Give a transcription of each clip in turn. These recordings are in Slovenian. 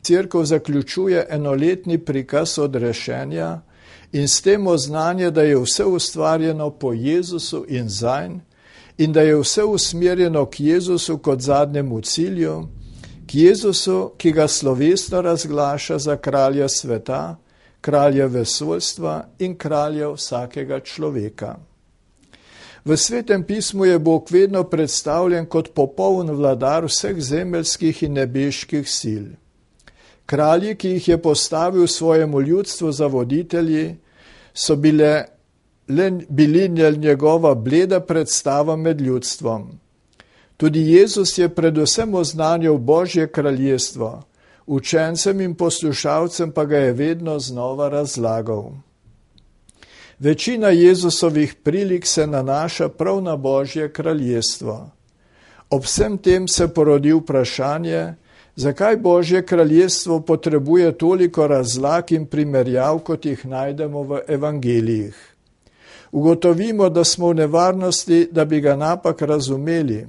Cerkev zaključuje enoletni prikaz odrešenja in s tem oznanje, da je vse ustvarjeno po Jezusu in zanj in da je vse usmerjeno k Jezusu kot zadnjemu cilju, k Jezusu, ki ga slovesno razglaša za kralja sveta, kralja vesoljstva in kralja vsakega človeka. V Svetem pismu je Bog vedno predstavljen kot popoln vladar vseh zemeljskih in nebeških sil. Kralji, ki jih je postavil svojemu ljudstvu za voditelji, so bili njegova bleda predstava med ljudstvom. Tudi Jezus je predvsem oznanjal Božje kraljestvo, učencem in poslušalcem pa ga je vedno znova razlagal. Večina Jezusovih prilik se nanaša prav na Božje kraljestvo. Ob vsem tem se porodi vprašanje, zakaj Božje kraljestvo potrebuje toliko razlag in primerjav, kot jih najdemo v evangelijih. Ugotovimo, da smo v nevarnosti, da bi ga napak razumeli,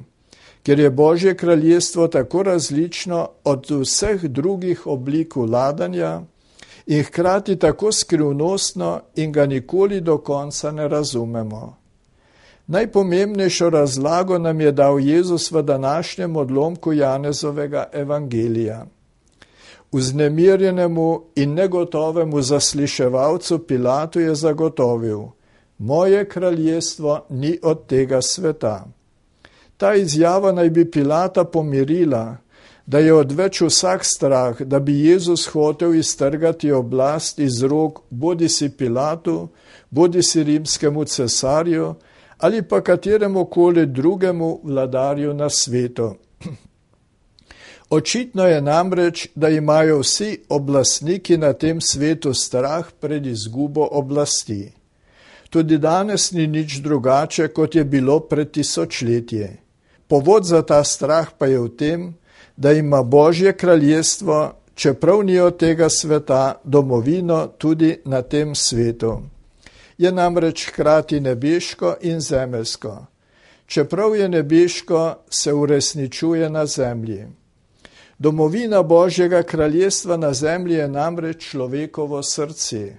ker je Božje kraljestvo tako različno od vseh drugih oblik vladanja in hkrati tako skrivnostno in ga nikoli do konca ne razumemo. Najpomembnejšo razlago nam je dal Jezus v današnjem odlomku Janezovega evangelija. Vznemirjenemu in negotovemu zasliševalcu Pilatu je zagotovil: moje kraljestvo ni od tega sveta. Ta izjava naj bi Pilata pomirila, da je odveč vsak strah, da bi Jezus hotel iztrgati oblast iz rok bodisi Pilatu, bodisi rimskemu cesarju ali pa kateremu koli drugemu vladarju na svetu. Očitno je namreč, da imajo vsi oblastniki na tem svetu strah pred izgubo oblasti. Tudi danes ni nič drugače, kot je bilo pred tisočletje. Povod za ta strah pa je v tem, da ima Božje kraljestvo, čeprav ni od tega sveta, domovino tudi na tem svetu. Je namreč hkrati nebeško in zemeljsko. Čeprav je nebeško, se uresničuje na zemlji. Domovina Božjega kraljestva na zemlji je namreč človekovo srce.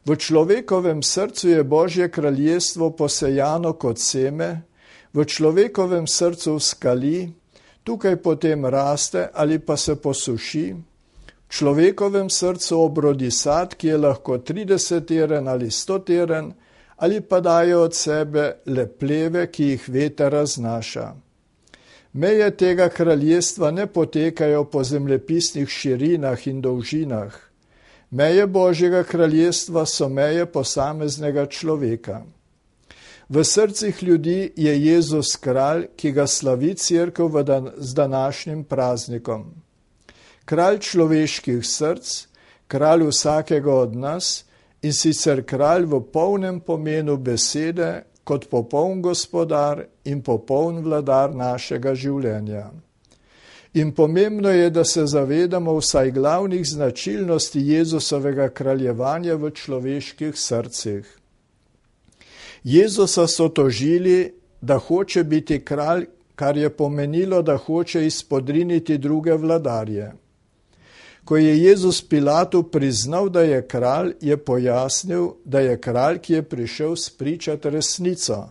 V človekovem srcu je Božje kraljestvo posejano kot seme, v človekovem srcu vzkali, tukaj potem raste ali pa se posuši. V človekovem srcu obrodi sad, ki je lahko 30 teren ali 100 teren, ali pa daje od sebe le pleve, ki jih veter raznaša. Meje tega kraljestva ne potekajo po zemljepisnih širinah in dolžinah. Meje Božjega kraljestva so meje posameznega človeka. V srcih ljudi je Jezus kralj, ki ga slavi cerkev z današnjim praznikom. Kralj človeških src, kralj vsakega od nas in sicer kralj v polnem pomenu besede, kot popoln gospodar in popoln vladar našega življenja. In pomembno je, da se zavedamo vsaj glavnih značilnosti Jezusovega kraljevanja v človeških srcih. Jezusa so tožili, da hoče biti kralj, kar je pomenilo, da hoče izpodriniti druge vladarje. Ko je Jezus Pilatu priznal, da je kralj, je pojasnil, da je kralj, ki je prišel spričati resnico.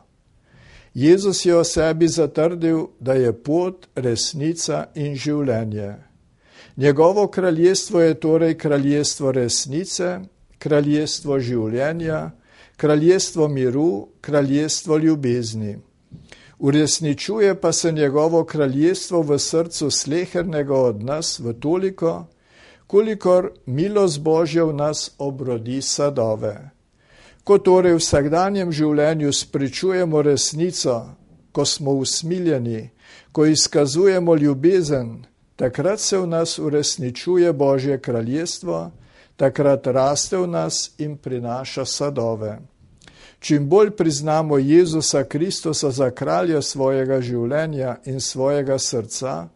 Jezus je o sebi zatrdil, da je pot, resnica in življenje. Njegovo kraljestvo je torej kraljestvo resnice, kraljestvo življenja, kraljestvo miru, kraljestvo ljubezni. Uresničuje pa se njegovo kraljestvo v srcu slehernega od nas v toliko, kolikor milost Božja v nas obrodi sadove. Ko torej v vsakdanjem življenju spričujemo resnico, ko smo usmiljeni, ko izkazujemo ljubezen, takrat se v nas uresničuje Božje kraljestvo, takrat raste v nas in prinaša sadove. Čim bolj priznamo Jezusa Kristusa za kralja svojega življenja in svojega srca,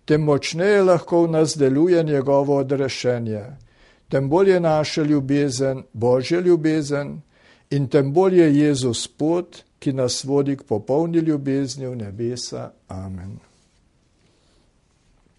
tem močneje lahko v nas deluje njegovo odrešenje, tem bolj je naša ljubezen Božja ljubezen in tem bolj je Jezus pot, ki nas vodi k popolni ljubezni v nebesa. Amen.